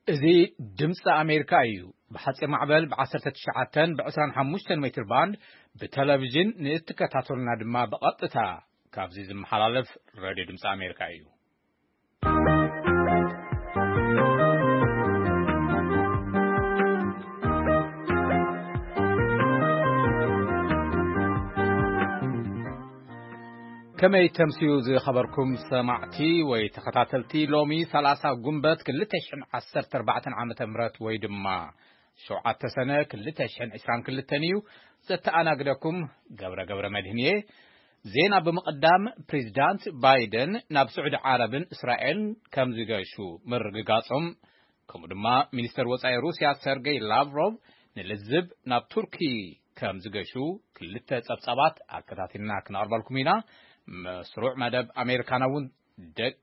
እዚ ድምፂ ኣሜሪካ እዩ። ብሓፂር ማዕበል ብ19 ብ25 ሜትር ባንድ ብቴሌቪዥን ንእትከታተሉና ድማ ብቐጥታ ካብዚ ዝመሓላለፍ ሬድዮ ድምፂ ኣሜሪካ እዩ። ከመይ ተምስዩ ዝኸበርኩም ሰማዕቲ ወይ ተኸታተልቲ፣ ሎሚ 30 ጉንበት 2014 ዓመተ ምህረት ወይ ድማ 7 ሰነ 2022 እዩ። ዘተኣናግደኩም ገብረ ገብረ መድህን እየ። ዜና ብምቕዳም፣ ፕሬዚዳንት ባይደን ናብ ስዑዲ ዓረብን እስራኤልን ከም ዝገሹ ምርግጋጾም፣ ከምኡ ድማ ሚኒስተር ወጻኢ ሩስያ ሰርጌይ ላቭሮቭ ንልዝብ ናብ ቱርኪ ከም ዝገሹ ክልተ ጸብጻባት ኣከታቲልና ክነቕርበልኩም ኢና። መስሩዕ መደብ ኣሜሪካና እውን ደቂ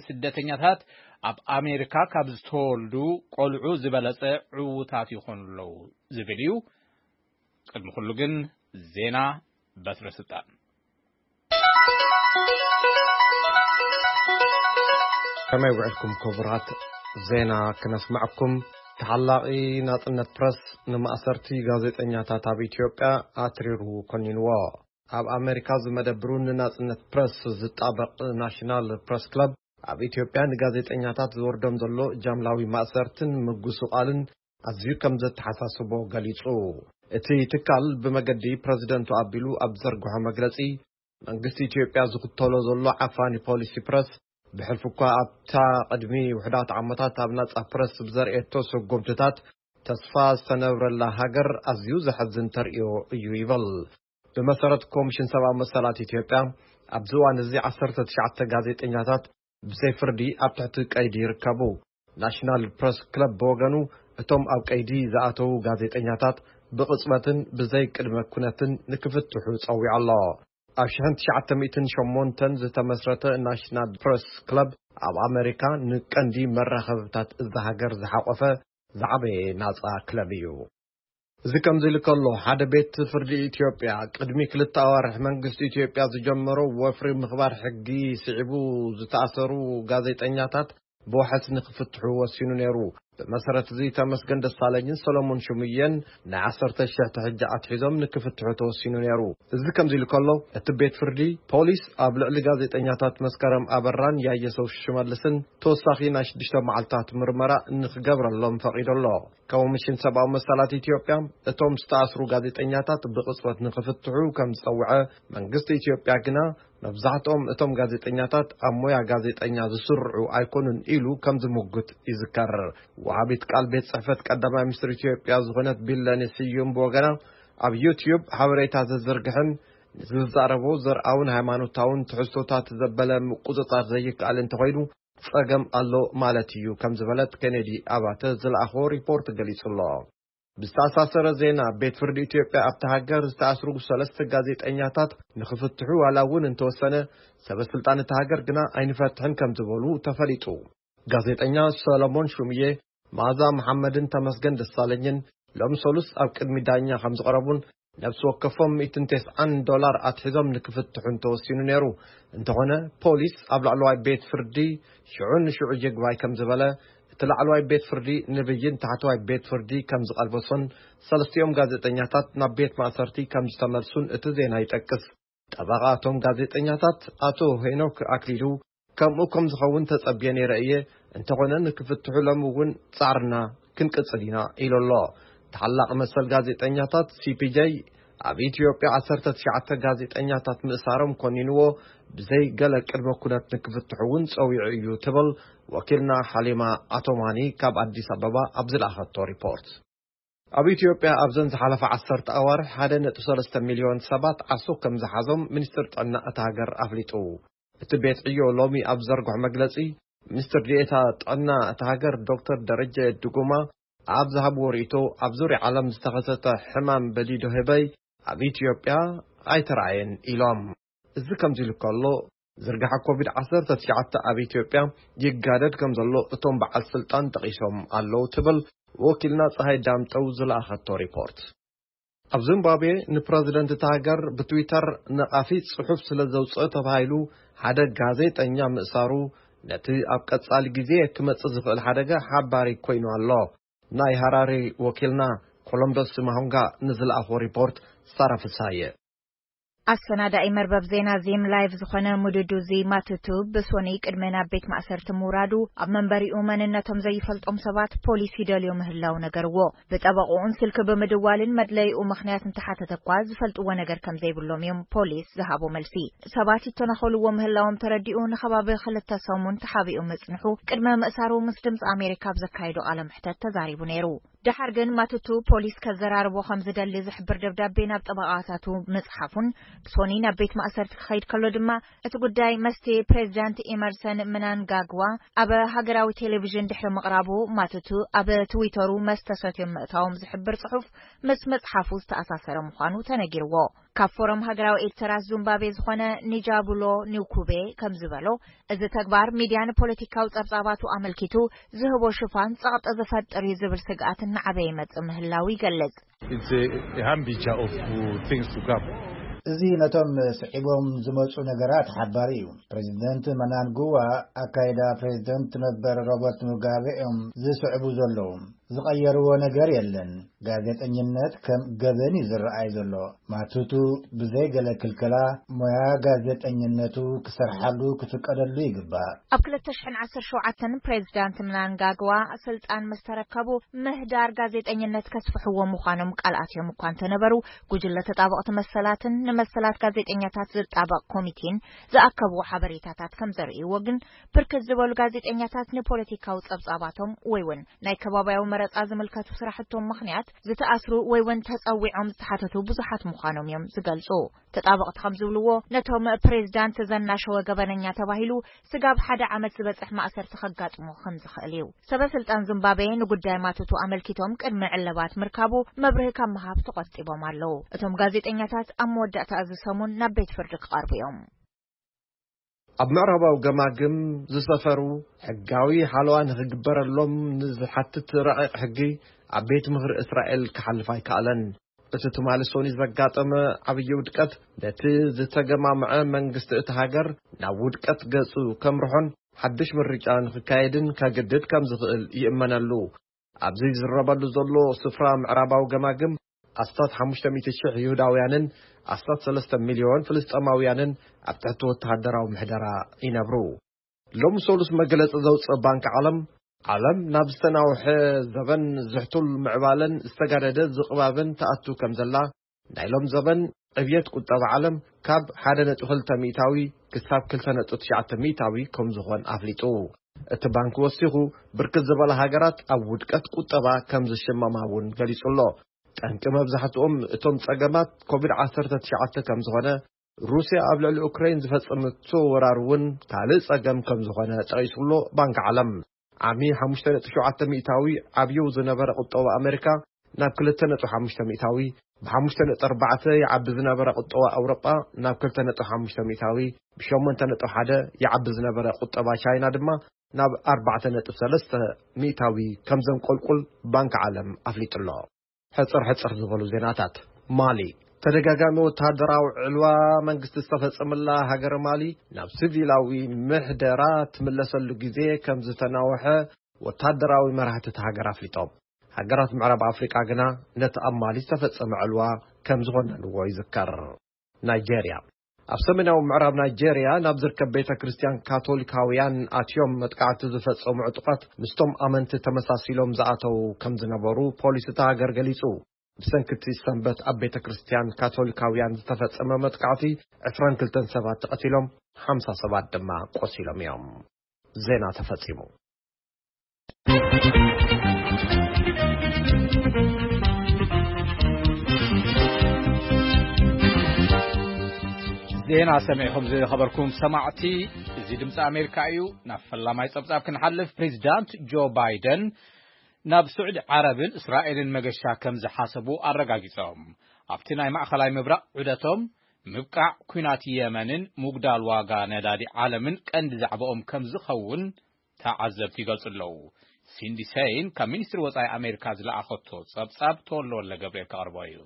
ስደተኛታት ኣብ ኣሜሪካ ካብ ዝተወልዱ ቆልዑ ዝበለጸ ዕዉታት ይኾኑ ኣለዉ ዝብል እዩ። ቅድሚ ኩሉ ግን ዜና በትረ ስልጣን። ከመይ ውዕልኩም ክቡራት? ዜና ክነስማዕኩም። ተሓላቒ ናጽነት ፕረስ ንማእሰርቲ ጋዜጠኛታት ኣብ ኢትዮጵያ ኣትሪሩ ኮኒንዎ። ኣብ ኣሜሪካ ዝመደብሩ ንናጽነት ፕረስ ዝጣበቕ ናሽናል ፕረስ ክለብ ኣብ ኢትዮጵያ ንጋዜጠኛታት ዝወርዶም ዘሎ ጃምላዊ ማእሰርትን ምጉስቓልን ኣዝዩ ከም ዘተሓሳስቦ ገሊጹ። እቲ ትካል ብመገዲ ፕረዚደንቱ ኣቢሉ ኣብ ዝዘርግሖ መግለጺ፣ መንግስቲ ኢትዮጵያ ዝኽተሎ ዘሎ ዓፋኒ ፖሊሲ ፕረስ፣ ብሕልፊ እኳ ኣብታ ቅድሚ ውሑዳት ዓመታት ኣብ ናጻ ፕረስ ብዘርእየቶ ስጉምትታት ተስፋ ዝተነብረላ ሃገር ኣዝዩ ዘሐዝን ተርእዮ እዩ ይብል። ብመሰረት ኮሚሽን ሰብኣዊ መሰላት ኢትዮጵያ፣ ኣብዚ እዋን እዚ 19 ጋዜጠኛታት ብዘይ ፍርዲ ኣብ ትሕቲ ቀይዲ ይርከቡ። ናሽናል ፕረስ ክለብ ብወገኑ፣ እቶም ኣብ ቀይዲ ዝኣተዉ ጋዜጠኛታት ብቕጽበትን ብዘይ ቅድመ ኩነትን ንክፍትሑ ጸዊዑ ኣሎ። ኣብ ሽሕን ትሽዓተ ሚእትን ሸሞንተን ዝተመስረተ ናሽናል ፕረስ ክለብ፣ ኣብ ኣሜሪካ ንቀንዲ መራኸብታት እዛ ሃገር ዝሓቖፈ ዝዓበየ ናጻ ክለብ እዩ። እዚ ከምዚ ኢሉ ከሎ፣ ሓደ ቤት ፍርዲ ኢትዮጵያ ቅድሚ ክልተ ኣዋርሕ መንግስቲ ኢትዮጵያ ዝጀመሮ ወፍሪ ምኽባር ሕጊ ስዒቡ ዝተኣሰሩ ጋዜጠኛታት ብዋሕስ ንክፍትሑ ወሲኑ ነይሩ። ብመሰረት እዚ ተመስገን ደሳለኝን ሰሎሞን ሽሙየን ን10,000 ሕጂ ኣትሒዞም ንክፍትሑ ተወሲኑ ነይሩ። እዚ ከምዚ ኢሉ ከሎ፣ እቲ ቤት ፍርዲ ፖሊስ ኣብ ልዕሊ ጋዜጠኛታት መስከረም ኣበራን ያየሰው ሽመልስን ተወሳኺ ናይ ሽዱሽተ መዓልታት ምርመራ ንክገብረሎም ፈቒዱ ኣሎ። ኮሚሽን ሰብኣዊ መሰላት ኢትዮጵያ፣ እቶም ዝተኣስሩ ጋዜጠኛታት ብቕጽበት ንክፍትሑ ከም ዝጸውዐ፣ መንግስቲ ኢትዮጵያ ግና መብዛሕትኦም እቶም ጋዜጠኛታት ኣብ ሞያ ጋዜጠኛ ዝስርዑ ኣይኮኑን ኢሉ ከም ዝምጉት ይዝከር። ወሃቢት ቃል ቤት ጽሕፈት ቀዳማይ ሚኒስትር ኢትዮጵያ ዝኾነት ቢለኔ ስዩም ብወገና፣ ኣብ ዩትዩብ ሓበሬታ ዘዝርግሕን ንዝዛረቦ ዘርኣውን ሃይማኖታውን ትሕዝቶታት ዘበለ ምቁጽጻር ዘይከኣል እንተኾይኑ፣ ጸገም ኣሎ ማለት እዩ ከም ዝበለት ኬኔዲ ኣባተ ዝለኣኾ ሪፖርት ገሊጹ ኣሎ። ብዝተኣሳሰረ ዜና፣ ቤት ፍርዲ ኢትዮጵያ ኣብቲ ሃገር ዝተኣስሩ ሰለስተ ጋዜጠኛታት ንክፍትሑ ዋላ እውን እንተወሰነ፣ ሰበ ስልጣን እቲ ሃገር ግና ኣይንፈትሕን ከም ዝበሉ ተፈሊጡ። ጋዜጠኛ ሰሎሞን ሹምዬ፣ መዓዛ መሓመድን ተመስገን ደሳለኝን ሎም ሰሉስ ኣብ ቅድሚ ዳኛ ከም ዝቐረቡን ነብሲ ወከፎም ሚእትን ተስዓን ዶላር ኣትሒዞም ንክፍትሑን ተወሲኑ ነይሩ። እንተኾነ፣ ፖሊስ ኣብ ላዕለዋይ ቤት ፍርዲ ሽዑ ንሽዑ ይግባይ ከም ዝበለ፣ እቲ ላዕለዋይ ቤት ፍርዲ ንብይን ታሕተዋይ ቤት ፍርዲ ከም ዝቐልበሶን ሰለስቲኦም ጋዜጠኛታት ናብ ቤት ማእሰርቲ ከም ዝተመልሱን እቲ ዜና ይጠቅስ። ጠበቓ እቶም ጋዜጠኛታት ኣቶ ሄኖክ ኣክሊሉ፣ ከምኡ ከም ዝኸውን ተጸብየ ነይረ እየ፣ እንተኾነ ንክፍትሑ ሎም እውን ጻዕርና ክንቅጽል ኢና ኢሉ ኣሎ። ተሓላቒ መሰል ጋዜጠኛታት፣ ሲ ፒ ጄ፣ ኣብ ኢትዮጵያ ዓሰርተ ትሽዓተ ጋዜጠኛታት ምእሳሮም ኮኒንዎ፣ ብዘይ ገለ ቅድመ ኩነት ንክፍትሑ እውን ጸዊዑ እዩ ትብል ወኪልና ሓሊማ ኣቶማኒ ካብ ኣዲስ ኣበባ ኣብ ዝለኣኸቶ ሪፖርት። ኣብ ኢትዮጵያ ኣብዘን ዝሓለፋ ዓሰርተ ኣዋርሕ ሓደ ነጥቢ ሰለስተ ሚልዮን ሰባት ዓሶ ከም ዝሓዞም ሚኒስትር ጥዕና እታ ሃገር ኣፍሊጡ። እቲ ቤት ዕዮ ሎሚ ኣብ ዘርግሖ መግለጺ፣ ሚኒስትር ዲኤታ ጥዕና እታ ሃገር ዶክተር ደረጀ ድጉማ ኣብ ዝሃብዎ ርእይቶ፣ ኣብ ዙርያ ዓለም ዝተኸሰተ ሕማም በዲዶ ህበይ ኣብ ኢትዮጵያ ኣይተራእየን ኢሎም። እዚ ከምዚ ኢሉ ከሎ፣ ዝርግሐ ኮቪድ ዓሰርተ ትሽዓተ ኣብ ኢትዮጵያ ይጋደድ ከም ዘሎ እቶም በዓል ስልጣን ጠቒሶም ኣለዉ ትብል ወኪልና ፀሃይ ዳምጠው ዝለኣኸቶ ሪፖርት። ኣብ ዚምባብዌ ንፕረዚደንት እታ ሃገር ብትዊተር ነቓፊ ጽሑፍ ስለ ዘውጽኦ ተባሂሉ ሓደ ጋዜጠኛ ምእሳሩ ነቲ ኣብ ቀጻሊ ግዜ ክመጽእ ዝኽእል ሓደጋ ሓባሪ ኮይኑ ኣሎ። ናይ ሃራሪ ወኪልና ኮሎምበስ ማሆንጋ ንዝለኣኾ ሪፖርት ሳራ ፍሳየ። ኣሰናዳኢ መርበብ ዜና ዚም ላይቭ ዝኾነ ሙዱዱዚ ማቱቱ ብሶኒ ቅድሚ ናብ ቤት ማእሰርቲ ምውራዱ፣ ኣብ መንበሪኡ መንነቶም ዘይፈልጦም ሰባት ፖሊስ ይደልዮ ምህላው ነገርዎ። ብጠበቕኡን ስልኪ ብምድዋልን መድለይኡ ምኽንያት እንተሓተተ እኳ ዝፈልጥዎ ነገር ከም ዘይብሎም እዮም ፖሊስ ዝሃቦ መልሲ። ሰባት ይተናኸልዎ ምህላዎም ተረዲኡ ንኸባቢ ክልተ ሰሙን ተሓቢኡ ምጽንሑ ቅድሚ ምእሳሩ ምስ ድምፂ ኣሜሪካ ኣብ ዘካየዶ ቃለ መሕተት ተዛሪቡ ነይሩ። ደሓር ግን ማቱቱ ፖሊስ ከዘራርቦ ከም ዝደሊ ዝሕብር ደብዳቤ ናብ ጠበቓታቱ ምጽሓፉን ሶኒ ናብ ቤት ማእሰርቲ ክኸይድ ከሎ ድማ እቲ ጉዳይ መስቲ ፕሬዚዳንት ኢመርሰን ምናንጋግዋ ኣብ ሃገራዊ ቴሌቪዥን ድሕሪ ምቕራቡ፣ ማቱቱ ኣብ ትዊተሩ መስተ ሰትዮም ምእታዎም ዝሕብር ጽሑፍ ምስ መጽሓፉ ዝተኣሳሰረ ምዃኑ ተነጊርዎ። ካብ ፎረም ሃገራዊ ኤዲተራት ዙምባቤ ዝኾነ ኒጃቡሎ ኒውኩቤ ከም ዝበሎ፣ እዚ ተግባር ሚድያ ንፖለቲካዊ ጸብጻባቱ ኣመልኪቱ ዝህቦ ሽፋን ጸቕጢ ዝፈጥር እዩ ዝብል ስግኣት እናዓበየ ይመጽእ ምህላው ይገልጽ። It's a, a hambija of uh, things to come. እዚ ነቶም ስዒቦም ዝመጹ ነገራት ሓባሪ እዩ። ፕሬዚደንት መናንጉዋ ኣካይዳ ፕሬዚደንት ነበር ሮበርት ሙጋቤ እዮም ዝስዕቡ ዘለዉ። ዝቐየርዎ ነገር የለን። ጋዜጠኝነት ከም ገበን እዩ ዝረኣይ ዘሎ። ማቱቱ ብዘይ ገለ ክልከላ ሞያ ጋዜጠኝነቱ ክሰርሓሉ ክፍቀደሉ ይግባእ። ኣብ ክልተ ሽሕን ዓሰርተ ሸውዓተን ፕሬዚዳንት ምናንጋግዋ ስልጣን ምስ ተረከቡ፣ ምህዳር ጋዜጠኝነት ከስፍሕዎ ምዃኖም ቃል ኣትዮም እኳ እንተነበሩ፣ ጉጅለ ተጣበቕቲ መሰላትን ንመሰላት ጋዜጠኛታት ዝጣበቕ ኮሚቴን ዝኣከብዎ ሓበሬታታት ከም ዘርእይዎ ግን፣ ብርክት ዝበሉ ጋዜጠኛታት ንፖለቲካዊ ጸብጻባቶም ወይ እውን ናይ ከባቢያዊ መረጻ ዝምልከቱ ስራሕቶም ምኽንያት ዝተኣስሩ ወይ እውን ተጸዊዖም ዝተሓተቱ ብዙሓት ምዃኖም እዮም ዝገልጹ። ተጣበቕቲ ከም ዝብልዎ፣ ነቶም ፕሬዚዳንት ዘናሸወ ገበነኛ ተባሂሉ ስጋብ ሓደ ዓመት ዝበጽሕ ማእሰርቲ ከጋጥሞ ከም ዝኽእል እዩ። ሰበ ስልጣን ዚምባብዌ ንጉዳይ ማቱቱ ኣመልኪቶም ቅድሚ ዕለባት ምርካቡ መብርሂ ካብ ምሃብ ተቖጢቦም ኣለዉ። እቶም ጋዜጠኛታት ኣብ መወዳእታ እዚ ሰሙን ናብ ቤት ፍርዲ ክቐርቡ እዮም። ኣብ ምዕራባዊ ገማግም ዝሰፈሩ፣ ሕጋዊ ሓለዋ ንኽግበረሎም ንዝሓትት ረቂቕ ሕጊ ኣብ ቤት ምኽሪ እስራኤል ክሓልፍ ኣይከኣለን። እቲ ትማሊ ሶኒ ዘጋጠመ ዓብዪ ውድቀት፣ ነቲ ዝተገማምዐ መንግስቲ እቲ ሃገር ናብ ውድቀት ገጹ ከምርሖን ሓድሽ ምርጫ ንኽካየድን ከግድድ ከም ዝኽእል ይእመነሉ። ኣብዚ ዝዝረበሉ ዘሎ ስፍራ ምዕራባዊ ገማግም ኣስታት ሓሙሽተ ሚእቲ ሽሕ ይሁዳውያንን ኣስታት ሰለስተ ሚልዮን ፍልስጤማውያንን ኣብ ትሕቲ ወተሃደራዊ ምሕደራ ይነብሩ። ሎሚ ሰሉስ መግለጺ ዘውጽእ ባንኪ ዓለም፣ ዓለም ናብ ዝተናውሐ ዘበን ዝሕቱል ምዕባለን ዝተጋደደ ዝቕባብን ትኣቱ ከም ዘላ፣ ናይ ሎም ዘበን ዕብየት ቁጠባ ዓለም ካብ ሓደ ነጥቢ ክልተ ሚእታዊ ክሳብ ክልተ ነጥቢ ትሽዓተ ሚእታዊ ከም ዝኾን ኣፍሊጡ። እቲ ባንኪ ወሲኹ፣ ብርክት ዝበላ ሃገራት ኣብ ውድቀት ቁጠባ ከም ዝሽመማ እውን ገሊጹ ኣሎ። ጠንቂ መብዛሕትኦም እቶም ጸገማት ኮቪድ ዓሰርተ ትሽዓተ ከም ዝኾነ፣ ሩስያ ኣብ ልዕሊ ኡክራይን ዝፈጸመቶ ወራር እውን ካልእ ጸገም ከም ዝኾነ ጠቒሱ ኣሎ ባንኪ ዓለም። ዓሚ ሓሙሽተ ነጥቢ ሸውዓተ ሚእታዊ ዓብዩ ዝነበረ ቁጠባ ኣሜሪካ ናብ ክልተ ነጥቢ ሓሙሽተ ሚእታዊ፣ ብ ሓሙሽተ ነጥቢ ኣርባዕተ ይዓቢ ዝነበረ ቁጠባ ኣውሮጳ ናብ ክልተ ነጥቢ ሓሙሽተ ሚእታዊ፣ ብ ሸሞንተ ነጥቢ ሓደ ይዓቢ ዝነበረ ቁጠባ ቻይና ድማ ናብ ኣርባዕተ ነጥቢ ሰለስተ ሚእታዊ ከም ዘንቆልቁል ባንኪ ዓለም ኣፍሊጡ ኣሎ። ሕጽር ሕጽር ዝበሉ ዜናታት። ማሊ፣ ተደጋጋሚ ወተሃደራዊ ዕልዋ መንግስቲ ዝተፈጸመላ ሃገረ ማሊ ናብ ሲቪላዊ ምሕደራ ትምለሰሉ ግዜ ከም ዝተናውሐ ወተሃደራዊ መራሕቲ እታ ሃገር ኣፍሊጦም። ሃገራት ምዕራብ ኣፍሪቃ ግና ነቲ ኣብ ማሊ ዝተፈጸመ ዕልዋ ከም ዝኾነንዎ ይዝከር። ናይጄርያ፣ ኣብ ሰሜናዊ ምዕራብ ናይጄርያ ናብ ዝርከብ ቤተ ክርስቲያን ካቶሊካውያን ኣትዮም መጥቃዕቲ ዝፈጸሙ ዕጡቓት ምስቶም ኣመንቲ ተመሳሲሎም ዝኣተዉ ከም ዝነበሩ ፖሊስ እታ ሃገር ገሊጹ። ብሰንኪ እቲ ሰንበት ኣብ ቤተ ክርስቲያን ካቶሊካውያን ዝተፈጸመ መጥቃዕቲ ዕስራን ክልተን ሰባት ተቐቲሎም፣ ሓምሳ ሰባት ድማ ቆሲሎም እዮም። ዜና ተፈጺሙ። ዜና ሰሚዕኹም ዝኸበርኩም ሰማዕቲ፣ እዚ ድምፂ ኣሜሪካ እዩ። ናብ ፈላማይ ጸብጻብ ክንሓልፍ፣ ፕሬዚዳንት ጆ ባይደን ናብ ስዑዲ ዓረብን እስራኤልን መገሻ ከም ዝሓሰቡ ኣረጋጊጾም። ኣብቲ ናይ ማእኸላይ ምብራቕ ዑደቶም፣ ምብቃዕ ኲናት የመንን ምጉዳል ዋጋ ነዳዲ ዓለምን ቀንዲ ዛዕባኦም ከም ዝኸውን ተዓዘብቲ ይገልጹ ኣለዉ። ሲንዲ ሰይን ካብ ሚኒስትሪ ወጻኢ ኣሜሪካ ዝለኣኸቶ ጸብጻብ ተወልደ ወልደ ገብርኤል ከቕርቦ እዩ።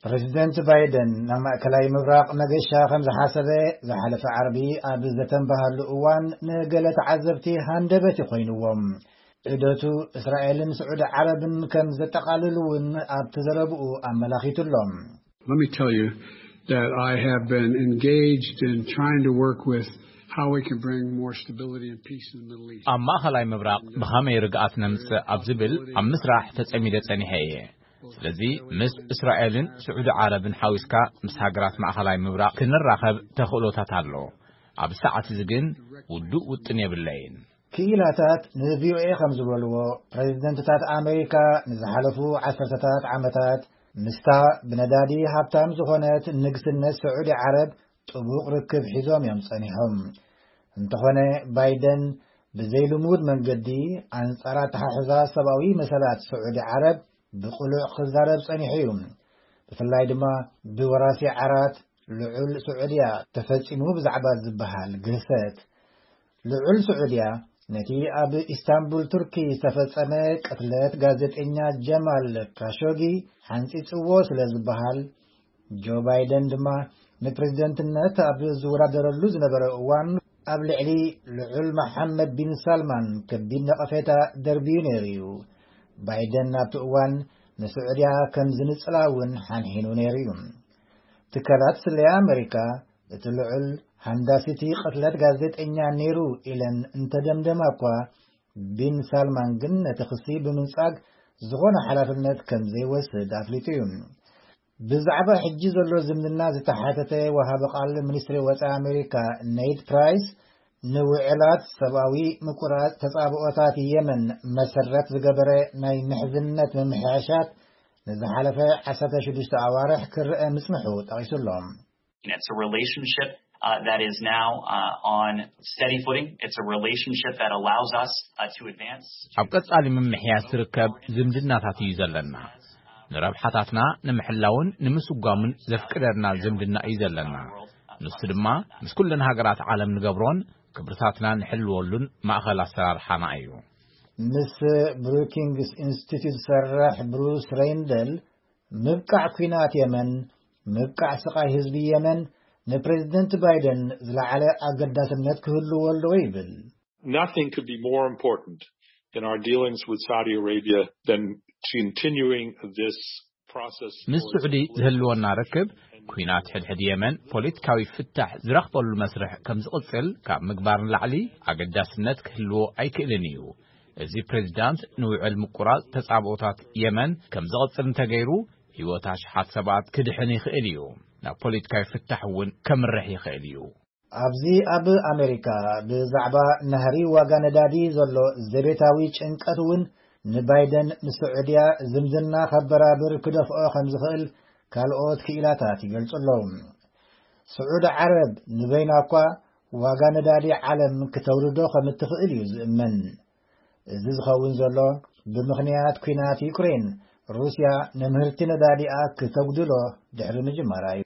ፕሬዚደንት ባይደን ናብ ማእከላይ ምብራቕ መገሻ ከም ዝሓሰበ ዝሓለፈ ዓርቢ ኣብ ዝተንበሃሉ እዋን፣ ንገለ ተዓዘብቲ ሃንደበት ይኮይንዎም። ዑደቱ እስራኤልን ስዑዲ ዓረብን ከም ዘጠቓልል እውን ኣብቲ ዘረብኡ ኣመላኺቱ ኣሎ። Let me tell you that I have been engaged in trying to work with how we can bring more stability and peace in the Middle East. ኣብ ማእኸላይ ምብራቕ ብኸመይ ርግኣት ነምጽእ ኣብ ዝብል ኣብ ምስራሕ ተጸሚደ ጸኒሐ እየ። ስለዚ ምስ እስራኤልን ስዑዲ ዓረብን ሓዊስካ ምስ ሃገራት ማእኸላይ ምብራቕ ክንራኸብ ተኽእሎታት ኣሎ። ኣብ ሰዓት እዚ ግን ውዱእ ውጥን የብለይን። ክኢላታት ንቪኦኤ ከም ዝበልዎ፣ ፕሬዚደንትታት ኣሜሪካ ንዝሓለፉ ዓሰርተታት ዓመታት ምስታ ብነዳዲ ሃብታም ዝኾነት ንግስነት ስዑዲ ዓረብ ጥቡቕ ርክብ ሒዞም እዮም ጸኒሖም። እንተኾነ፣ ባይደን ብዘይልሙድ መንገዲ ኣንጻር ኣተሓሕዛ ሰብኣዊ መሰላት ስዑዲ ዓረብ ብቕሉዕ ክዛረብ ጸኒሑ እዩ። ብፍላይ ድማ ብወራሲ ዓራት ልዑል ስዑድያ ተፈጺሙ ብዛዕባ ዝበሃል ግህሰት። ልዑል ስዑድያ ነቲ ኣብ ኢስታንቡል ቱርኪ ዝተፈጸመ ቅትለት ጋዜጠኛ ጀማል ካሾጊ ሓንጺጽዎ ስለ ዝበሃል፣ ጆ ባይደን ድማ ንፕሬዝደንትነት ኣብ ዝወዳደረሉ ዝነበረ እዋን ኣብ ልዕሊ ልዑል መሓመድ ቢን ሳልማን ከቢድ ነቐፌታ ደርብዩ ነይሩ እዩ። ባይደን ኣብቲ እዋን ንስዑድያ ከም ዝንጽላ እውን ሓንሒኑ ነይሩ እዩ። ትካላት ስለያ ኣመሪካ እቲ ልዑል ሃንዳሲቲ ቅትለት ጋዜጠኛ ነይሩ ኢለን እንተደምደማ እኳ፣ ቢን ሳልማን ግን ነቲ ክሲ ብምንጻግ ዝኾነ ሓላፍነት ከም ዘይወስድ ኣፍሊጡ እዩ። ብዛዕባ ሕጂ ዘሎ ዝምድና ዝተሓተተ ወሃቢ ቃል ሚኒስትሪ ወጻኢ ኣሜሪካ ኔድ ፕራይስ፣ ንውዕላት ሰብኣዊ ምቁራጽ ተጻብኦታት የመን መሰረት ዝገበረ ናይ ምሕዝነት ምምሕያሻት ንዝሓለፈ ዓሰርተ ሽዱሽተ ኣዋርሕ ክረአ ምጽንሑ ጠቒሱ ኣሎ። It's a relationship uh, that is now uh, on steady footing. It's a relationship that allows us uh, to advance. ኣብ ቀጻሊ ምምሕያሽ ዝርከብ ዝምድናታት እዩ ዘለና። ንረብሓታትና ንምሕላውን ንምስጓምን ዘፍቅደና ዝምድና እዩ ዘለና። ንሱ ድማ ምስ ኩለን ሃገራት ዓለም ንገብሮን ክብርታትና ንሕልወሉን ማእኸል ኣሰራርሓና እዩ። ምስ ብሩኪንግስ ኢንስቲትዩት ዝሰርሕ ብሩስ ሬይንደል፣ ምብቃዕ ኲናት የመን፣ ምብቃዕ ስቓይ ህዝቢ የመን ንፕሬዝደንት ባይደን ዝለዓለ ኣገዳስነት ክህልዎ ኣለዎ ይብል። Nothing could be more important in our dealings with Saudi Arabia than continuing this process. ምስ ስዑዲ ዝህልወና ርክብ፣ ኲናት ሕድሕድ የመን ፖለቲካዊ ፍታሕ ዝረኽበሉ መስርሕ ከም ዝቕጽል ካብ ምግባር ንላዕሊ ኣገዳስነት ክህልዎ ኣይክእልን እዩ። እዚ ፕሬዚዳንት ንውዕል ምቁራጽ ተጻብኦታት የመን ከም ዝቕጽል እንተገይሩ፣ ህይወት ኣሽሓት ሰባት ክድሕን ይኽእል እዩ። ናብ ፖለቲካዊ ፍታሕ እውን ከምርሕ ይኽእል እዩ። ኣብዚ ኣብ ኣሜሪካ ብዛዕባ ናህሪ ዋጋ ነዳዲ ዘሎ ዘቤታዊ ጭንቀት እውን ንባይደን ንስዑድያ ዝምድና ከበራብር ክደፍኦ ከም ዝኽእል ካልኦት ክኢላታት ይገልጹ ኣለዉ። ስዑዲ ዓረብ ንበይና እኳ ዋጋ ነዳዲ ዓለም ክተውርዶ ከም እትኽእል እዩ ዝእመን። እዚ ዝኸውን ዘሎ ብምኽንያት ኲናት ዩክሬን፣ ሩስያ ንምህርቲ ነዳዲኣ ክተጉድሎ ድሕሪ ምጅማራ እዩ።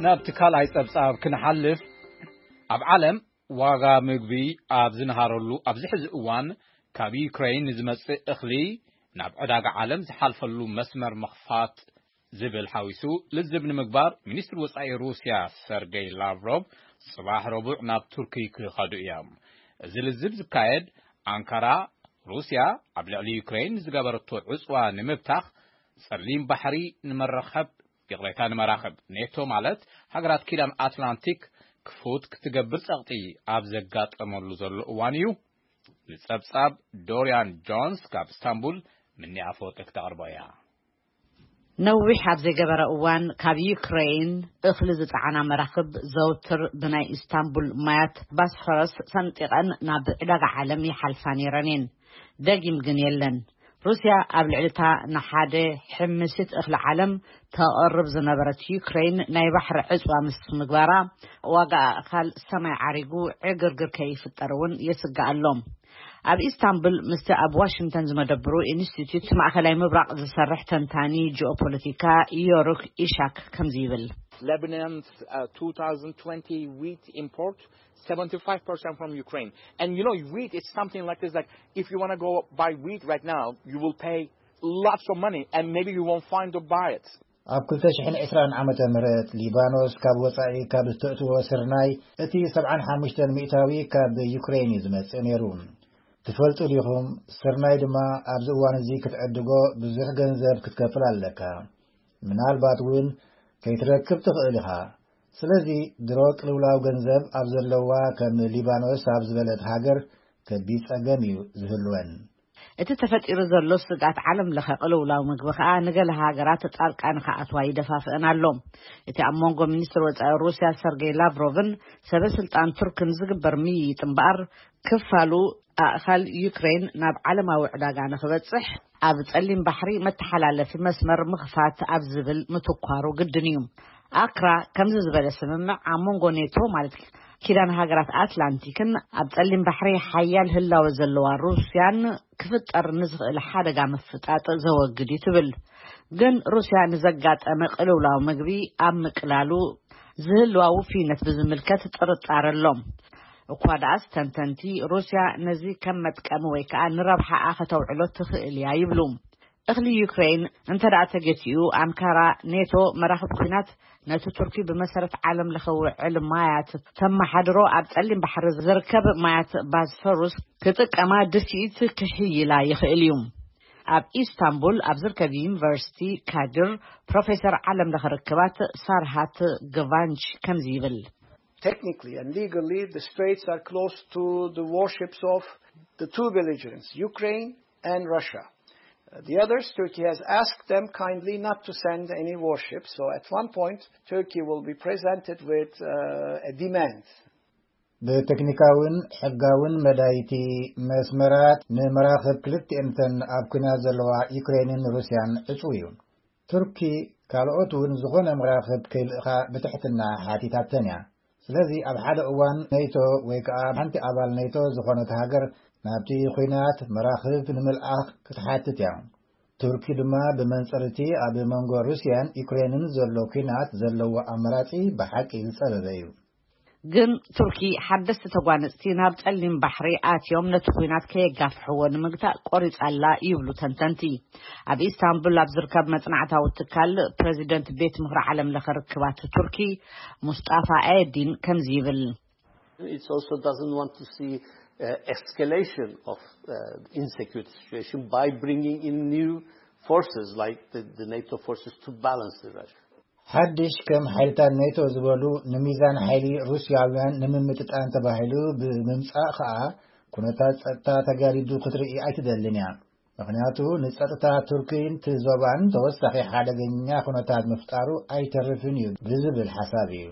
ናብቲ ካልኣይ ጸብጻብ ክንሓልፍ፣ ኣብ ዓለም ዋጋ ምግቢ ኣብ ዝንሃረሉ ኣብዚ ሕዚ እዋን፣ ካብ ዩክሬን ንዝመጽእ እኽሊ ናብ ዕዳጋ ዓለም ዝሓልፈሉ መስመር ምኽፋት ዝብል ሓዊሱ ልዝብ ንምግባር፣ ሚኒስትሪ ወጻኢ ሩስያ ሰርጌይ ላቭሮቭ ጽባሕ ረቡዕ ናብ ቱርኪ ክኸዱ እዮም። እዚ ልዝብ ዝካየድ፣ ኣንካራ ሩስያ ኣብ ልዕሊ ዩክሬን ዝገበረቶ ዕጽዋ ንምብታኽ፣ ጸሊም ባሕሪ ንመራኸብ፣ ይቕሬታ፣ ንመራኽብ ኔቶ፣ ማለት ሃገራት ኪዳን ኣትላንቲክ፣ ክፉት ክትገብር ጸቕጢ ኣብ ዘጋጠመሉ ዘሎ እዋን እዩ። ንጸብጻብ ዶርያን ጆንስ ካብ እስታንቡል፣ ምኒ ኣፈወርቂ ክተቕርቦ እያ። ነዊሕ ኣብ ዘይገበረ እዋን፣ ካብ ዩክሬን እኽሊ ዝጸዓና መራኽብ ዘውትር ብናይ ኢስታንቡል ማያት ባስፈረስ ሰንጢቐን ናብ ዕዳጋ ዓለም ይሓልፋ ነይረን እየን። ደጊም ግን የለን። ሩስያ ኣብ ልዕሊ እታ ንሓደ ሕምሲት እኽሊ ዓለም ተቕርብ ዝነበረት ዩክሬን ናይ ባሕሪ ዕጽዋ ምስ ምግባራ፣ ዋጋ ኣእኻል ሰማይ ዓሪጉ ዕግርግር ከይፍጠር እውን የስግእ ኣሎ። ኣብ ኢስታንቡል ምስቲ ኣብ ዋሽንግተን ዝመደብሩ ኢንስቲትዩት ማእከላይ ምብራቕ ዝሰርሕ ተንታኒ ጂኦፖለቲካ ዮሩክ ኢሻክ ከምዚ ይብል። Lebanon's uh, two thousand twenty wheat import, seventy-five percent from Ukraine. And you know, wheat is something like this. Like, if you want to go buy wheat right now, you will pay lots of money, and maybe you won't find to buy it. ኣብ ክልተ ሽሕን ዕስራን ዓመተ ምህረት ሊባኖስ ካብ ወጻኢ ካብ እተእትዎ ስርናይ እቲ ሰብዓን ሓሙሽተን ሚእታዊ ካብ ዩክሬን እዩ ዝመጽእ ነይሩ። ትፈልጡ ዲኹም? ስርናይ ድማ ኣብዚ እዋን እዚ ክትዕድጎ ብዙሕ ገንዘብ ክትከፍል ኣለካ። ምናልባት እውን ከይትረክብ ትኽእል ኢኻ። ስለዚ ድሮ ቅልውላው ገንዘብ ኣብ ዘለዋ ከም ሊባኖስ ኣብ ዝበለት ሃገር ከቢድ ጸገም እዩ ዝህልወን። እቲ ተፈጢሩ ዘሎ ስግኣት ዓለም ለኸ ቅልውላው ምግቢ ከኣ ንገለ ሃገራት ጣልቃ ንኸኣትዋ ይደፋፍአን ኣሎ። እቲ ኣብ መንጎ ሚኒስትር ወጻኢ ሩስያ ሰርጌይ ላቭሮቭን ሰበ ስልጣን ቱርክን ዝግበር ምይይጥ እምበኣር፣ ክፋሉ ኣእኻል ዩክሬን ናብ ዓለማዊ ዕዳጋ ንኽበጽሕ ኣብ ጸሊም ባሕሪ መተሓላለፊ መስመር ምኽፋት ኣብ ዝብል ምትኳሩ ግድን እዩ። ኣክራ ከምዚ ዝበለ ስምምዕ ኣብ መንጎ ኔቶ፣ ማለት ኪዳን ሃገራት ኣትላንቲክን ኣብ ጸሊም ባሕሪ ሓያል ህላወ ዘለዋ ሩስያን ክፍጠር ንዝኽእል ሓደጋ ምፍጣጥ ዘወግድ እዩ ትብል። ግን ሩስያ ንዘጋጠመ ቅልውላው ምግቢ ኣብ ምቅላሉ ዝህልዋ ውፍይነት ብዝምልከት ጥርጣረ ኣሎ። እኳ ደኣስ ተንተንቲ ሩስያ ነዚ ከም መጥቀሚ ወይ ከኣ ንረብሓኣ ከተውዕሎ ትኽእል እያ ይብሉ። እኽሊ ዩክሬን እንተ ደኣ ተገቲኡ፣ ኣንካራ ኔቶ መራኽብ ኲናት ነቲ ቱርኪ ብመሰረት ዓለም ለኸ ውዕል ማያት ተመሓድሮ ኣብ ጸሊም ባሕሪ ዝርከብ ማያት ባስፈሩስ ክጥቀማ ድፍኢት ክሕይላ ይኽእል እዩ። ኣብ ኢስታንቡል ኣብ ዝርከብ ዩኒቨርሲቲ ካድር ፕሮፌሰር ዓለም ለኸ ርክባት ሳርሃት ግቫንች ከምዚ ይብል። Technically and legally, the straits are closed to the warships of the two belligerents, Ukraine and Russia. Uh, The others, Turkey has asked them kindly not to send any warships. So at one point, Turkey will be presented with uh, a demand. ብቴክኒካውን ሕጋውን መዳይቲ መስመራት ንመራኽብ ክልቲኤንተን ኣብ ኲናት ዘለዋ ዩክሬንን ሩስያን ዕጹው እዩ። ቱርኪ ካልኦት እውን ዝኾነ መራኽብ ከይልእኻ ብትሕትና ሓቲታተን እያ። ስለዚ ኣብ ሓደ እዋን ኔቶ ወይ ከኣ ሓንቲ ኣባል ኔቶ ዝኾነት ሃገር ናብቲ ኲናት መራኽብ ንምልኣኽ ክትሓትት እያ። ቱርኪ ድማ ብመንጽር እቲ ኣብ መንጎ ሩስያን ዩክሬንን ዘሎ ኲናት ዘለዎ ኣማራጺ ብሓቂ ዝጸበበ እዩ። ግን ቱርኪ ሓደስቲ ተጓነጽቲ ናብ ጸሊም ባሕሪ ኣትዮም ነቲ ኲናት ከየጋፍሕዎ ንምግታእ ቆሪጻ ኣላ ይብሉ ተንተንቲ። ኣብ ኢስታንቡል ኣብ ዝርከብ መጽናዕታዊ ትካል ፕረዚደንት ቤት ምኽሪ ዓለም ለኸ ርክባት ቱርኪ ሙስጣፋ ኤዲን ከምዚ ይብል። It also doesn't want to see uh, escalation of uh, insecurity situation by bringing in new forces like the, the NATO forces to balance the Russia. ሓድሽ ከም ሓይልታት ኔቶ ዝበሉ ንሚዛን ሓይሊ ሩስያውያን ንምምጥጣን ተባሂሉ ብምምጻእ ከኣ ኩነታት ጸጥታ ተጋዲዱ ክትርኢ ኣይትደልን እያ። ምኽንያቱ ንጸጥታ ቱርኪን እቲ ዞባን ተወሳኺ ሓደገኛ ኩነታት ምፍጣሩ ኣይተርፍን እዩ ብዝብል ሓሳብ እዩ።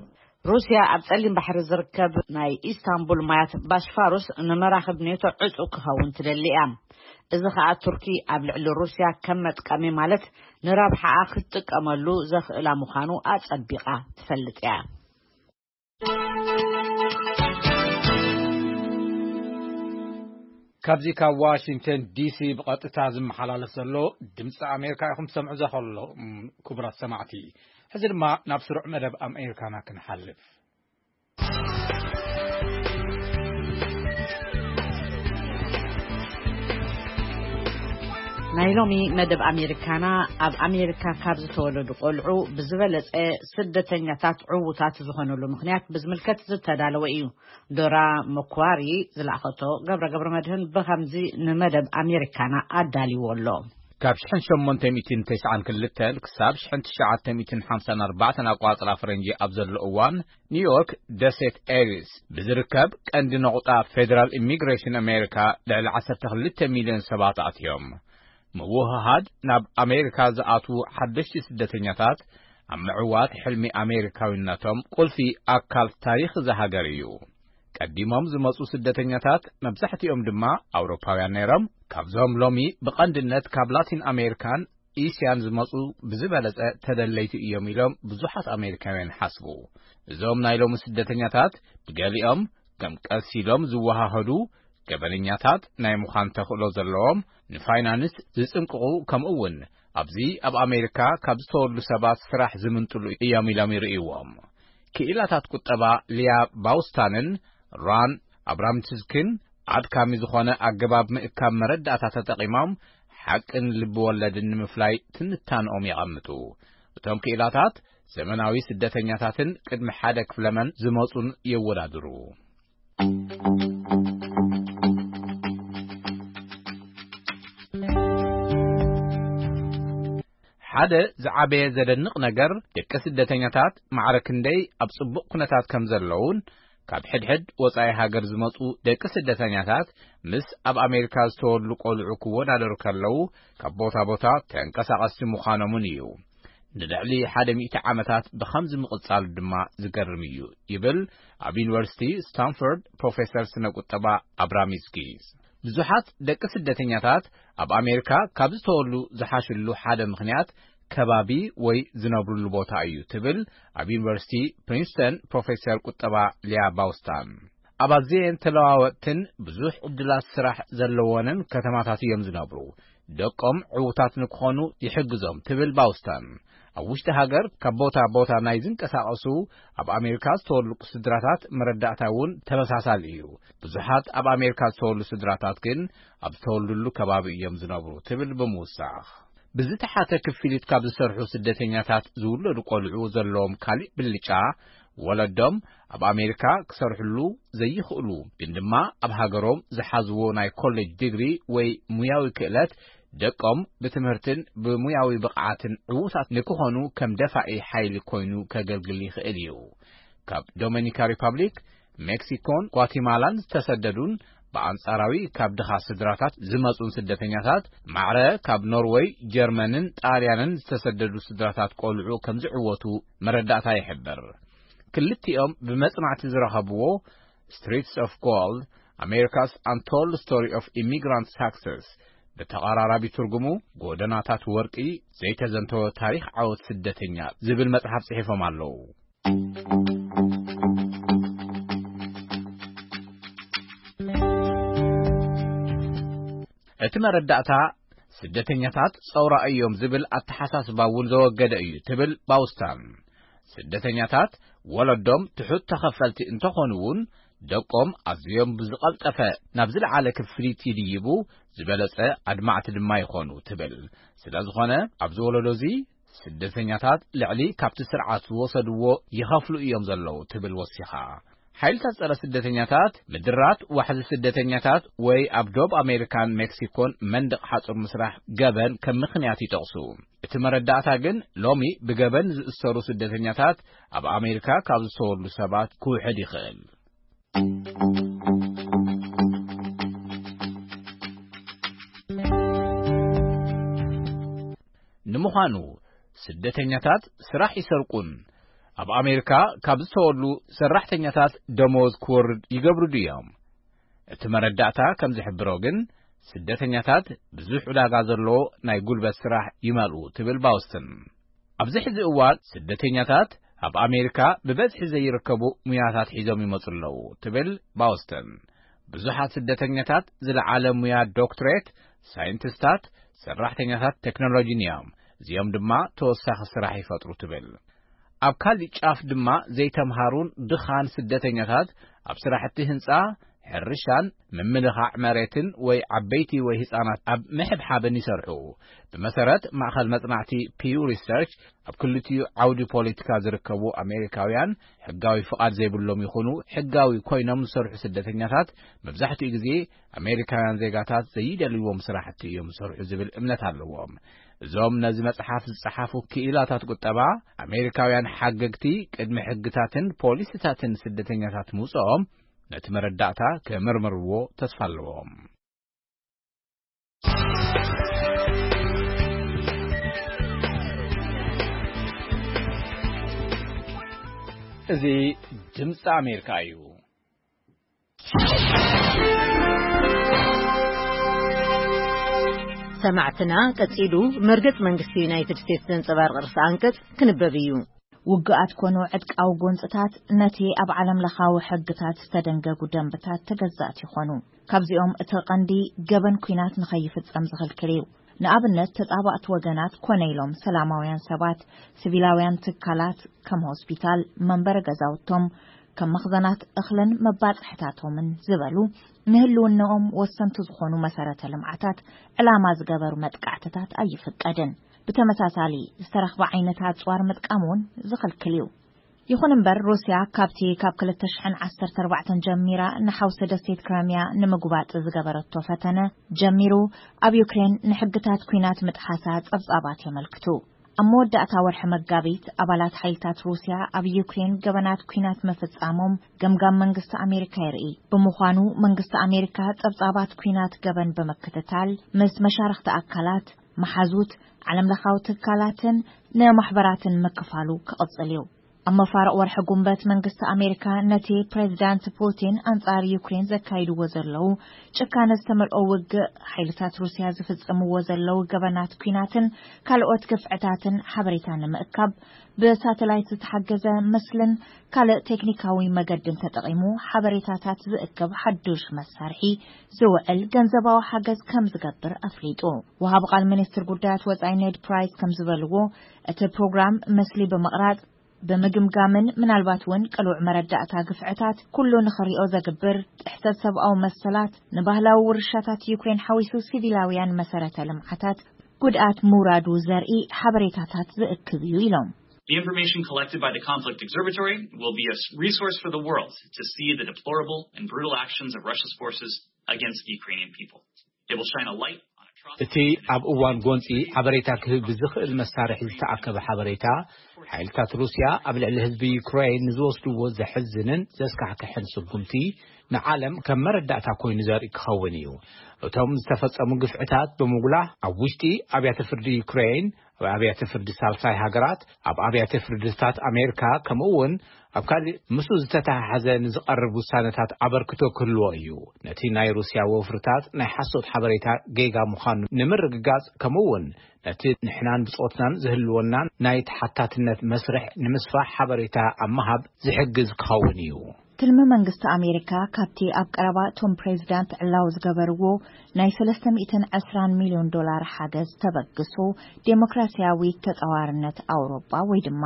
ሩስያ ኣብ ጸሊም ባሕሪ ዝርከብ ናይ ኢስታንቡል ማያት ባስፋሩስ ንመራኽብ ኔቶ ዕጹ ክኸውን ትደሊ እያ። እዚ ኸኣ ቱርኪ ኣብ ልዕሊ ሩስያ ከም መጥቀሚ ማለት ንረብሓኣ ክትጥቀመሉ ዘኽእላ ምዃኑ ኣጸቢቓ ትፈልጥ እያ። ካብዚ ካብ ዋሽንግተን ዲሲ ብቐጥታ ዝመሓላለፍ ዘሎ ድምፂ ኣሜሪካ ኢኹም ትሰምዑ ዘኸሎ። ክቡራት ሰማዕቲ፣ ሕዚ ድማ ናብ ስሩዕ መደብ ኣሜሪካና ክንሓልፍ። ናይ ሎሚ መደብ ኣሜሪካና ኣብ ኣሜሪካ ካብ ዝተወለዱ ቆልዑ ብዝበለጸ ስደተኛታት ዕዉታት ዝኾነሉ ምኽንያት ብዝምልከት ዝተዳለወ እዩ። ዶራ መኳሪ ዝለኣኸቶ ገብረ ገብረ መድህን ብኸምዚ ንመደብ ኣሜሪካና ኣዳልዎ ኣሎ። ካብ ሽሕን ሸሞንተ ሚእትን ተስዓን ክልተን ክሳብ ሽሕን ትሽዓተ ሚእትን ሓምሳን ኣርባዕተን ኣቋጽራ ፈረንጂ ኣብ ዘሎ እዋን፣ ኒውዮርክ ደሴት ኤሪስ ብዝርከብ ቀንዲ ነቑጣ ፌደራል ኢሚግሬሽን ኣሜሪካ ልዕሊ ዓሰርተ ክልተ ሚልዮን ሰባት ኣትዮም። ምውህሃድ ናብ ኣሜሪካ ዝኣትዉ ሓደሽቲ ስደተኛታት ኣብ ምዕዋት ሕልሚ ኣሜሪካዊነቶም ቁልፊ ኣካል ታሪኽ እዛ ሃገር እዩ። ቀዲሞም ዝመጹ ስደተኛታት መብዛሕትኦም ድማ ኣውሮፓውያን ነይሮም። ካብዞም ሎሚ ብቐንድነት ካብ ላቲን ኣሜሪካን እስያን ዝመጹ ብዝበለጸ ተደለይቲ እዮም ኢሎም ብዙሓት ኣሜሪካውያን ይሓስቡ። እዞም ናይ ሎሚ ስደተኛታት ብገሊኦም ከም ቀስ ኢሎም ዝወሃሃዱ፣ ገበነኛታት ናይ ምዃን ተኽእሎ ዘለዎም፣ ንፋይናንስ ዝጽንቅቑ፣ ከምኡ እውን ኣብዚ ኣብ ኣሜሪካ ካብ ዝተወሉ ሰባት ስራሕ ዝምንጥሉ እዮም ኢሎም ይርእይዎም። ክኢላታት ቁጠባ ሊያ ባውስታንን ራን ኣብራምትስክን ኣድካሚ ዝኾነ ኣገባብ ምእካብ መረዳእታ ተጠቒሞም ሓቅን ልቢ ወለድን ንምፍላይ ትንታንኦም የቐምጡ። እቶም ክኢላታት ዘመናዊ ስደተኛታትን ቅድሚ ሓደ ክፍለመን ዝመጹን የወዳድሩ። ሓደ ዝዓበየ ዘደንቕ ነገር፣ ደቂ ስደተኛታት ማዕረ ክንደይ ኣብ ጽቡቕ ኩነታት ከም ዘለዉን፣ ካብ ሕድሕድ ወጻኢ ሃገር ዝመጹ ደቂ ስደተኛታት ምስ ኣብ ኣሜሪካ ዝተወልዱ ቆልዑ ክወዳደሩ ከለዉ፣ ካብ ቦታ ቦታ ተንቀሳቐስቲ ምዃኖምን እዩ። ንልዕሊ ሓደ ሚእቲ ዓመታት ብኸምዚ ምቕጻሉ ድማ ዝገርም እዩ፣ ይብል ኣብ ዩኒቨርሲቲ ስታንፎርድ ፕሮፌሰር ስነ ቁጠባ ኣብራም ስኪዝ። ብዙሓት ደቂ ስደተኛታት ኣብ ኣሜሪካ ካብ ዝተወሉ ዝሓሽሉ ሓደ ምኽንያት ከባቢ ወይ ዝነብሩሉ ቦታ እዩ ትብል ኣብ ዩኒቨርሲቲ ፕሪንስተን ፕሮፌሰር ቁጠባ ሊያ ባውስታን። ኣብ ኣዘየን ተለዋወጥትን ብዙሕ ዕድላት ስራሕ ዘለወንን ከተማታት እዮም ዝነብሩ። ደቆም ዕዉታት ንክኾኑ ይሕግዞም ትብል ባውስታን። ኣብ ውሽጢ ሃገር ካብ ቦታ ቦታ ናይ ዝንቀሳቐሱ ኣብ ኣሜሪካ ዝተወልቁ ስድራታት መረዳእታ እውን ተመሳሳሊ እዩ። ብዙሓት ኣብ ኣሜሪካ ዝተወልዱ ስድራታት ግን ኣብ ዝተወልዱሉ ከባቢ እዮም ዝነብሩ ትብል ብምውሳኽ፣ ብዝተሓተ ክፍሊት ካብ ዝሰርሑ ስደተኛታት ዝውለዱ ቆልዑ ዘለዎም ካሊእ ብልጫ፣ ወለዶም ኣብ ኣሜሪካ ክሰርሕሉ ዘይኽእሉ ግን ድማ ኣብ ሃገሮም ዝሓዝዎ ናይ ኮሌጅ ዲግሪ ወይ ሙያዊ ክእለት ደቆም ብትምህርትን ብሙያዊ ብቕዓትን ዕዉታት ንክኾኑ ከም ደፋኢ ሓይሊ ኮይኑ ከገልግል ይኽእል እዩ። ካብ ዶሚኒካ ሪፓብሊክ፣ ሜክሲኮን ጓቲማላን ዝተሰደዱን ብኣንጻራዊ ካብ ድኻ ስድራታት ዝመጹን ስደተኛታት ማዕረ ካብ ኖርወይ፣ ጀርመንን ጣልያንን ዝተሰደዱ ስድራታት ቆልዑ ከም ዝዕወቱ መረዳእታ ይሕብር። ክልቲኦም ብመጽናዕቲ ዝረኸብዎ Streets of Gold: America's Untold Story of Immigrant Success፣ ብተቐራራቢ ትርጉሙ ጎደናታት ወርቂ ዘይተዘንተወ ታሪኽ ዓወት ስደተኛ ዝብል መጽሓፍ ጽሒፎም ኣለዉ። እቲ መረዳእታ ስደተኛታት ጸውራ እዮም ዝብል ኣተሓሳስባ እውን ዘወገደ እዩ ትብል ባውስታን። ስደተኛታት ወለዶም ትሑት ተኸፈልቲ እንተኾኑ እውን ደቆም ኣዝዮም ብዝቐልጠፈ ናብ ዝለዓለ ክፍሊት ይድይቡ፣ ዝበለጸ ኣድማዕቲ ድማ ይኾኑ ትብል። ስለ ዝኾነ ኣብዚ ወለዶ እዚ ስደተኛታት ልዕሊ ካብቲ ስርዓት ዝወሰድዎ ይኸፍሉ እዮም ዘለዉ ትብል ወሲኻ። ሓይልታት ጸረ ስደተኛታት ምድራት ዋሕዚ ስደተኛታት ወይ ኣብ ዶብ ኣሜሪካን ሜክሲኮን መንደቕ ሓጹር ምስራሕ ገበን ከም ምኽንያት ይጠቕሱ። እቲ መረዳእታ ግን ሎሚ ብገበን ዝእሰሩ ስደተኛታት ኣብ ኣሜሪካ ካብ ዝተወሉ ሰባት ክውሕድ ይኽእል። ንምዃኑ ስደተኛታት ስራሕ ይሰርቁን ኣብ ኣሜሪካ ካብ ዝተወሉ ሰራሕተኛታት ደሞዝ ክወርድ ይገብሩ ድዮም? እቲ መረዳእታ ከም ዝሕብሮ ግን ስደተኛታት ብዙሕ ዕዳጋ ዘለዎ ናይ ጉልበት ስራሕ ይመልኡ ትብል ባውስትን። ኣብዚ ሕዚ እዋን ስደተኛታት ኣብ ኣሜሪካ ብበዝሒ ዘይርከቡ ሙያታት ሒዞም ይመጹ ኣለዉ ትብል ባውስተን። ብዙሓት ስደተኛታት ዝለዓለ ሙያ ዶክትሬት፣ ሳይንቲስታት፣ ሰራሕተኛታት ቴክኖሎጂን እዮም። እዚኦም ድማ ተወሳኺ ስራሕ ይፈጥሩ ትብል። ኣብ ካልእ ጫፍ ድማ ዘይተምሃሩን ድኻን ስደተኛታት ኣብ ስራሕቲ ህንጻ፣ ሕርሻን ምምልኻዕ መሬትን ወይ ዓበይቲ ወይ ህጻናት ኣብ ምሕብሓብን ይሰርሑ። ብመሰረት ማእኸል መጽናዕቲ ፒው ሪሰርች፣ ኣብ ክልቲኡ ዓውዲ ፖለቲካ ዝርከቡ ኣሜሪካውያን ሕጋዊ ፍቓድ ዘይብሎም ይኹኑ ሕጋዊ ኮይኖም ዝሰርሑ ስደተኛታት መብዛሕትኡ ግዜ ኣሜሪካውያን ዜጋታት ዘይደልይዎም ስራሕቲ እዮም ዝሰርሑ ዝብል እምነት ኣለዎም። እዞም ነዚ መጽሓፍ ዝጸሓፉ ክኢላታት ቁጠባ፣ ኣሜሪካውያን ሓገግቲ ቅድሚ ሕግታትን ፖሊሲታትን ስደተኛታት ምውጽኦም ነቲ መረዳእታ ክምርምርዎ ተስፋ ኣለዎም። እዚ ድምፂ ኣሜሪካ እዩ። ሰማዕትና፣ ቀጺሉ መርገጽ መንግስቲ ዩናይትድ ስቴትስ ዘንጸባርቕ ርእሰ ኣንቀጽ ክንበብ እዩ። ውግኣት ኮኑ ዕጥቃዊ ጎንጽታት ነቲ ኣብ ዓለም ለኻዊ ሕግታት ዝተደንገጉ ደንብታት ተገዛእቲ ይኾኑ። ካብዚኦም እቲ ቀንዲ ገበን ኲናት ንኸይፍጸም ዝኽልክል እዩ። ንኣብነት ተጻባእቲ ወገናት ኮነ ኢሎም ሰላማውያን ሰባት፣ ሲቪላውያን ትካላት ከም ሆስፒታል፣ መንበሪ ገዛውቶም፣ ከም መኽዘናት እኽልን መባጽሕታቶምን ዝበሉ ንህልውናኦም ወሰንቲ ዝኾኑ መሰረተ ልምዓታት ዕላማ ዝገበሩ መጥቃዕትታት ኣይፍቀድን። ብተመሳሳሊ ዝተረኽበ ዓይነት ኣጽዋር ምጥቃም እውን ዝኽልክል እዩ። ይኹን እምበር ሩስያ ካብቲ ካብ ክልተ ሽሕን ዓሰርተ ኣርባዕተን ጀሚራ ንሓውሲ ደሴት ክረምያ ንምጉባጥ ዝገበረቶ ፈተነ ጀሚሩ ኣብ ዩክሬን ንሕግታት ኲናት ምጥሓሳ ጸብጻባት የመልክቱ። ኣብ መወዳእታ ወርሒ መጋቢት ኣባላት ሓይልታት ሩስያ ኣብ ዩክሬን ገበናት ኲናት ምፍጻሞም ገምጋም መንግስቲ ኣሜሪካ የርኢ። ብምዃኑ መንግስቲ ኣሜሪካ ጸብጻባት ኲናት ገበን ብምክትታል ምስ መሻርኽቲ ኣካላት፣ መሓዙት፣ ዓለምለኻዊ ትካላትን ንማሕበራትን ምክፋሉ ክቕጽል እዩ። ኣብ መፋርቕ ወርሒ ጉንበት መንግስቲ ኣሜሪካ ነቲ ፕሬዚዳንት ፑቲን ኣንጻር ዩክሬን ዘካይድዎ ዘለዉ ጭካነ ዝተመልኦ ውግእ፣ ሓይልታት ሩስያ ዝፍጽምዎ ዘለዉ ገበናት ኲናትን ካልኦት ግፍዕታትን ሓበሬታ ንምእካብ ብሳተላይት ዝተሓገዘ ምስልን ካልእ ቴክኒካዊ መገድን ተጠቒሙ ሓበሬታታት ዝእክብ ሓዱሽ መሳርሒ ዝውዕል ገንዘባዊ ሓገዝ ከም ዝገብር ኣፍሊጡ። ወሃቢ ቃል ሚኒስትር ጉዳያት ወጻኢ ኔድ ፕራይስ ከም ዝበልዎ፣ እቲ ፕሮግራም ምስሊ ብምቕራጽ፣ ብምግምጋምን ምናልባት እውን ቅሉዕ መረዳእታ ግፍዕታት ኩሉ ንኽሪኦ ዘግብር፣ ጥሕሰት ሰብኣዊ መሰላት፣ ንባህላዊ ውርሻታት ዩክሬን ሓዊሱ ሲቪላውያን መሰረተ ልምዓታት ጉድኣት ምውራዱ ዘርኢ ሓበሬታታት ዝእክብ እዩ ኢሎም። The information collected by the Conflict Observatory will be a s- resource for the world to see the deplorable and brutal actions of Russia's forces against the Ukrainian people. It will shine a light on atrocities. እቲ ኣብ እዋን ጎንጺ ሓበሬታ ክህብ ብዝኽእል መሳርሒ ዝተኣከበ ሓበሬታ፣ ሓይልታት ሩስያ ኣብ ልዕሊ ህዝቢ ዩክሬን ንዝወስድዎ ዘሕዝንን ዘስካሕክሕን ስጉምቲ ንዓለም ከም መረዳእታ ኮይኑ ዘርኢ ክኸውን እዩ። እቶም ዝተፈጸሙ ግፍዕታት ብምጉላህ ኣብ ውሽጢ ኣብያተ ፍርዲ ዩክሬን፣ ኣብ ኣብያተ ፍርዲ ሳልሳይ ሃገራት፣ ኣብ ኣብያተ ፍርድታት ኣሜሪካ፣ ከምኡ እውን ኣብ ካልእ ምስኡ ዝተተሓሓዘ ንዝቐርብ ውሳነታት ኣበርክቶ ክህልዎ እዩ። ነቲ ናይ ሩስያ ወፍርታት ናይ ሓሶት ሓበሬታ ጌጋ ምዃኑ ንምርግጋጽ፣ ከምኡ እውን ነቲ ንሕናን ብጾትናን ዝህልወናን ናይ ተሓታትነት መስርሕ ንምስፋሕ ሓበሬታ ኣብ ምሃብ ዝሕግዝ ክኸውን እዩ። ትልሚ መንግስቲ ኣሜሪካ ካብቲ ኣብ ቀረባ እቶም ፕሬዚዳንት ዕላው ዝገበርዎ ናይ ሰለስተ ሚእትን ዕስራን ሚልዮን ዶላር ሓገዝ ተበግሶ ዴሞክራሲያዊ ተጻዋርነት ኣውሮጳ ወይ ድማ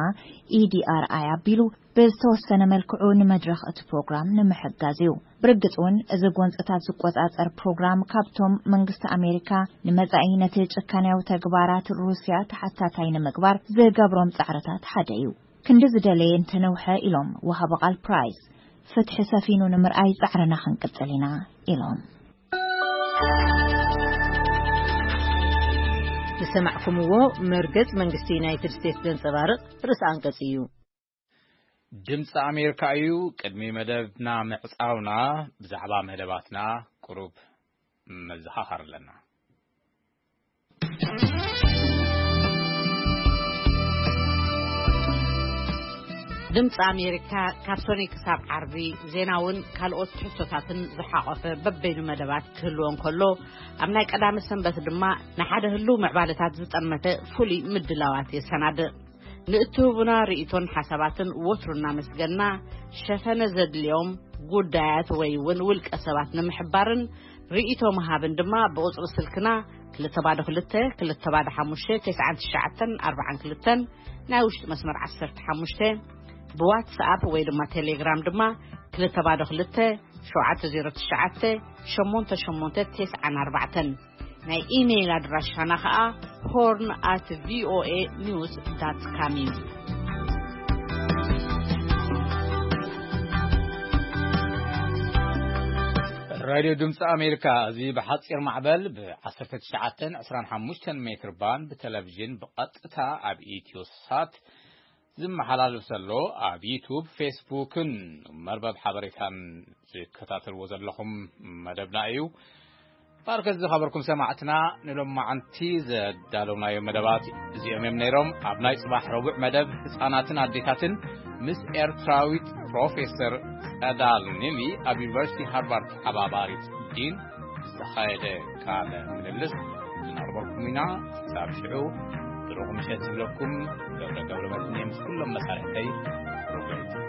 ኢዲኣርኣይ ኣቢሉ ብዝተወሰነ መልክዑ ንመድረኽ እቲ ፕሮግራም ንምሕጋዝ እዩ። ብርግጽ እውን እዚ ጎንጽታት ዝቆጻጸር ፕሮግራም ካብቶም መንግስቲ ኣሜሪካ ንመጻኢ ነቲ ጭካንያዊ ተግባራት ሩስያ ተሓታታይ ንምግባር ዝገብሮም ጻዕርታት ሓደ እዩ። ክንዲ ዝደለየ እንተነውሐ ኢሎም ወሃቢ ቃል ፕራይስ፣ ፍትሒ ሰፊኑ ንምርኣይ ጻዕርና ክንቅጽል ኢና ኢሎም። ዝሰማዕኩምዎ መርገጽ መንግስቲ ዩናይትድ ስቴትስ ዘንጸባርቕ ርእሲ ኣንቀጽ እዩ። ድምፂ ኣሜሪካ እዩ። ቅድሚ መደብና ምዕፃውና ብዛዕባ መደባትና ቁሩብ መዘኻኸር ኣለና። ድምፂ ኣሜሪካ ካብ ሶኒ ክሳብ ዓርቢ ዜናውን ካልኦት ትሕዝቶታትን ዝሓቆፈ በበይኑ መደባት ክህልዎ እንከሎ፣ ኣብ ናይ ቀዳመ ሰንበት ድማ ንሓደ ህሉው ምዕባለታት ዝጠመተ ፍሉይ ምድላዋት የሰናድእ። ንእትህቡና ርእይቶን ሓሳባትን ወትሩ እናመስገና፣ ሸፈነ ዘድልዮም ጉዳያት ወይ እውን ውልቀ ሰባት ንምሕባርን ርእይቶ ምሃብን ድማ ብቁጽሪ ስልክና ክልተ ባዶ ክልተ፣ ክልተ ባዶ ሓሙሽተ፣ ተስዓን ትሽዓተን ኣርባዓን ክልተን፣ ናይ ውሽጢ መስመር ዓሰርተ ሓሙሽተ፣ ብዋትስኣፕ ወይ ድማ ቴሌግራም ድማ ክልተ ባዶ ክልተ፣ ሸውዓተ ዜሮ ትሽዓተ፣ ሸሞንተ ሸሞንተ ተስዓን ኣርባዕተን። ናይ ኢሜይል ኣድራሻና ኸኣ ሆርን ኣት ቪኦኤ ኒውስ ዳት ካም እዩ። ራድዮ ድምፂ ኣሜሪካ፣ እዚ ብሓፂር ማዕበል ብ ዓሰርተ ትሽዓተን ዕስራን ሓሙሽተን ሜትር ባንድ ብቴሌቪዥን ብቐጥታ ኣብ ኢትዮ ሳት ዝመሓላለፍ ዘሎ፣ ኣብ ዩቱብ፣ ፌስቡክን መርበብ ሓበሬታን ዝከታተልዎ ዘለኹም መደብና እዩ። ባርከት ዝኸበርኩም ሰማዕትና፣ ንሎማዓንቲ ዘዳለውናዮ መደባት እዚኦም እዮም ነይሮም። ኣብ ናይ ጽባሕ ረቡዕ መደብ ህጻናትን ኣዴታትን ምስ ኤርትራዊት ፕሮፌሰር ጸዳል ኒሊ ኣብ ዩኒቨርሲቲ ሃርቫርድ ተሓባባሪት ዲን ዝተኻየደ ቃለ ምልልስ እናቕረብኩም ኢና። ክሳብ ሽዑ ብሩኽ ምሸት ዝብለኩም ገብረ ገብረ መድህን ምስ ኩሎም መሳርሕተይ ፕሮግራም